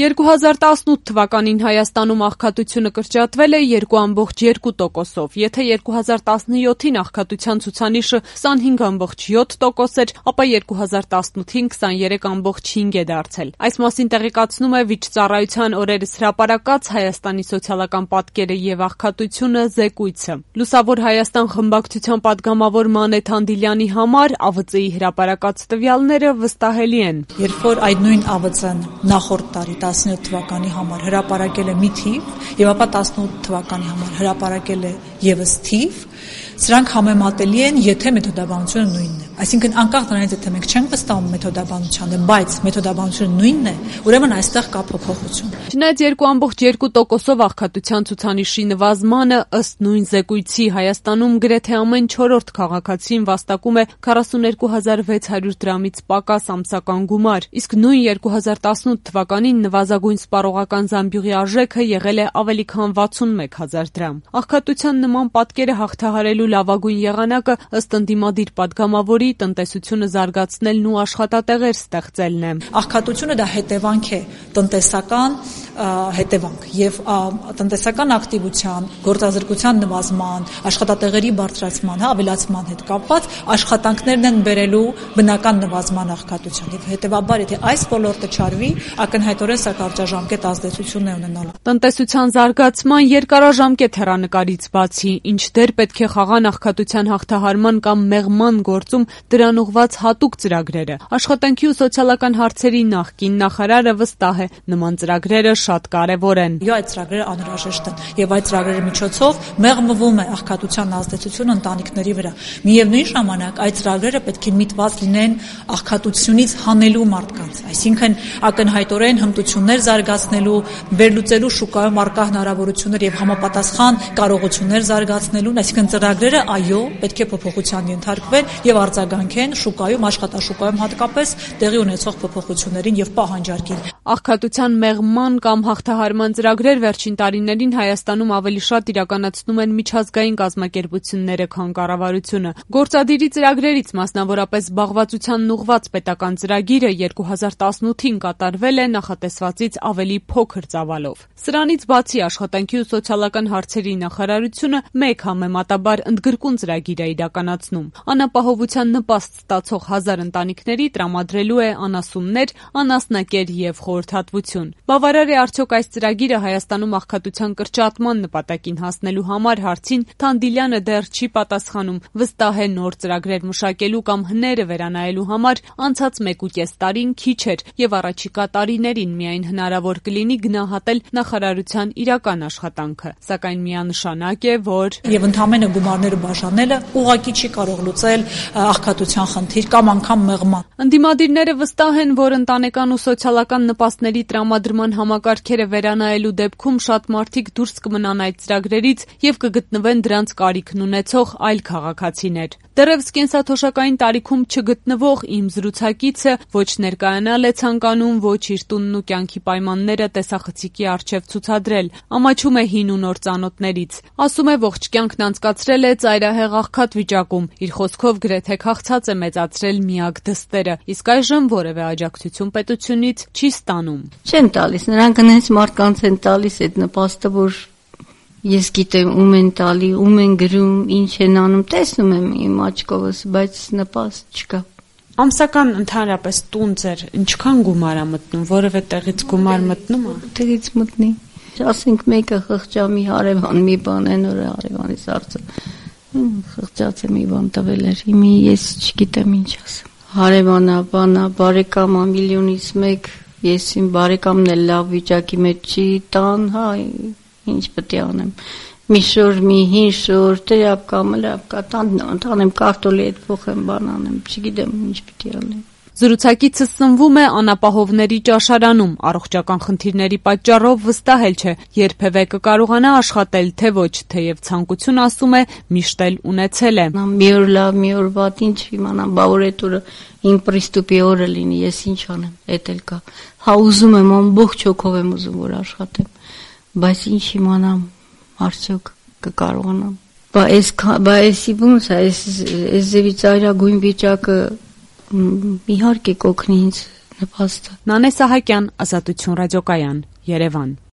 2018 թվականին Հայաստանում աղքատությունը կրճատվել է 2,2%-ով, եթե 2017-ին աղքատության ցուցանիշը 25,7% էր, ապա 2018-ին 23,5% է դարձել։ Այս մասին տեղեկացնում է Վիճծառայության օրերս հրապարակած Հայաստանի սոցիալական պատկերը եւ աղքատությունը զեկույցը։ Լուսավոր Հայաստան խմբակցության պատգամավոր Մանեթ Անդիլյանի համար ԱՎԾ-ի հրապարակած տվյալները վստահելի են։ Երբ որ այդ նույն ԱՎԾ-ն նախորդ տարի 17 թվականի համար հրապարակել է մի թիվ եւ ապա 18 թվականի համար հրապարակել է եւս թիվ, սրանք համեմատելի են, եթե մեթոդաբանությունը նույնն է։ Այսինքն անկախ նրանից, եթե մենք չենք վստահում մեթոդաբանությանը, բայց մեթոդաբանությունը նույնն է, ուրեմն այստեղ կա փոփոխություն։ Չնայած 2,2%-ով աղքատության ցուցանիշի նվազմանը ըստ նույն զեկույցի Հայաստանում գրեթե ամեն 4-րդ քաղաքացին վաստակում է 42,600 դրամից պակաս ամսական գումար, իսկ նույն 2018 թվականին նվազագույն սպառողական զամբյուղի արժեքը եղել է ավելի քան 61,000 դրամ։ Աղքատության նման պատկերը հաղթահարելու լավագույն եղանակը ըստ ընդդիմադիր պատգամավորի տնտեսությունը զարգացնելն ու աշխատատեղեր ստեղծելն է։ Աղքատությունը դա հետևանք է, տնտեսական հետևանք եւ տնտեսական ակտիվության, գործազրկության նվազման, աշխատատեղերի բարձրացման, ավելացման հետ կապված աշխատանքներն են բերելու բնական նվազման աղքատության եւ հետեւաբար եթե այս ոլորտը չարվի, ակնհայտորեն սա կարճաժամկետ ազդեցություն է ունենալու։ Տնտեսության զարգացման երկարաժամկետ հեռանկարից բացի, ինչ դեր պետք է խաղան աղքատության հաղթահարման կամ մեղման գործում դրան ուղղված հատուկ ծրագրերը։ Աշխատանքի ու սոցիալական հարցերի նախկին նախարարը վստահ է, նման ծրագրերը շատ կարևոր են։ Այդ ծրագրերը անհրաժեշտ են եւ այդ ծրագրերի միջոցով մեղմվում է աղքատության ազդեցությունը ընտանիքների վրա։ Միևնույն ժամանակ այդ ծրագրերը պետք է միտված լինեն աղքատությունից հանելու մարդկանց, այսինքն ակնհայտորեն հմտություններ զարգացնելու, վերլուծելու շուկայում առկա հնարավորություններ եւ համապատասխան կարողություններ զարգացնելու, այսինքն ծրագրերը այո, պետք է փոփոխության ենթարկվեն եւ արձագանքեն շուկայում, աշխատաշուկայում հատկապես տեղի ունեցող փոփոխություններին եւ պահանջարկին։ Աղքատության մեղման կամ հաղթահարման ծրագրեր վերջին տարիներին Հայաստանում ավելի շատ իրականացնում են միջազգային կազմակերպությունները, քան կառավարությունը։ Գործադիրի ծրագրերից մասնավորապես զբաղվածությանն ուղղված պետական ծրագիրը 2018-ին կատարվել է նախատեսվածից ավելի փոքր ծավալով։ Սրանից բացի աշխատանքի ու սոցիալական հարցերի նախարարությունը մեկ համեմատաբար ընդգրկուն ծրագիր է իրականացնում։ Անապահովության նպաստ ստացող 1000 ընտանիքների տրամադրելու է անասուններ, անասնակեր եւ խորհրդատվություն։ Բավարար է արդյոք այս ծրագիրը Հայաստանում աղքատության կրճատման նպատակին հասնելու համար հարցին Թանդիլյանը դեռ չի պատասխանում, վստահ է նոր ծրագրեր մշակելու կամ հները վերանայելու համար անցած 1.5 տարին քիչ էր եւ առաջիկա տարիներին միայն հնարավոր կլինի գնահատել նախարարության իրական աշխատանքը, սակայն միանշանակ է, որ եւ ընդհանրապես գումարները բաժանելը ուղղակի չի կարող լուծել աղքատության խնդիր կամ անգամ մեղման։ Ընդդիմադիրները վստահ են, որ ընտանեկան ու սոցիալական նպաստների տրամադրման համակարգերը վերանայելու դեպքում շատ մարդիկ դուրս կմնան այդ ծրագրերից եւ կգտնվեն դրանց կարիքն ունեցող այլ քաղաքացիներ։ Դեռևս կենսաթոշակային տարիքում չգտնվող իմ զրուցակիցը ոչ ներկայանալ է ցանկանում, ոչ իր տունն ու կյանքի պայմանները տեսախցիկի առջև ցուցադրել, ամաչում է հին ու նոր ծանոթներից։ Ասում է ողջ կյանքն անցկացրել է ծայրահեղ աղքատ վիճակում, իր խոսքով գրեթե քաղցած է մեծացրել միակ դստերը, իսկ այժմ որևէ աջակցություն պետությունից չի ստանում։ Չեն տալիս, նրանք հենց մարդկանց են տալիս այդ նպաստը, որ ես գիտեմ ում են տալի, ում են գրում, ինչ են անում, տեսնում եմ իմ աչքովս, բայց նպաստ չկա։ Ամսական ընդհանրապես տուն ձեր ինչքան գումար է մտնում, որևէ տեղից գումար մտնում է։ Տեղից մտնի։ Ասենք մեկը խղճամի հարևան մի բան են օրը հարևանից արծը։ Խղճած է մի բան տվել էր, հիմա ես չգիտեմ ինչ ասեմ։ Հարևանա, բանա, բարեկամա միլիոնից մեկ, ես իմ բարեկամն էլ լավ վիճակի մեջ չի տան, հա, ինչ պետք է անեմ։ Մի շոր, մի հին շոր, տրապկա, մլապկա, տանեմ կարտոլի հետ փոխեմ, բան անեմ, չգիտեմ ինչ պետք է անեմ։ Զրուցակիցը սնվում է անապահովների ճաշարանում, առողջական խնդիրների պատճառով վստահել չէ, երբևէ կկարողանա աշխատել, թե ոչ, թեև ցանկություն ասում է միշտ էլ ունեցել է։ Մի օր լավ, մի օր վատ, ինչ իմանամ, բա որ այդ օրը իմ պրիստուպի օրը լինի, ես ինչ անեմ, էդ էլ կա։ Հա ուզում եմ, ամբողջ հոգով եմ ուզում որ աշխատեմ, բայց ինչ իմանամ, արդյոք կկարողանամ։ Բա էսի ոնց է, այս ձևի ծայրագույն վիճակը իհարկե կօգնի ինձ նպաստը։ Նանե Սահակյան, Ազատություն ռադիոկայան, Երևան։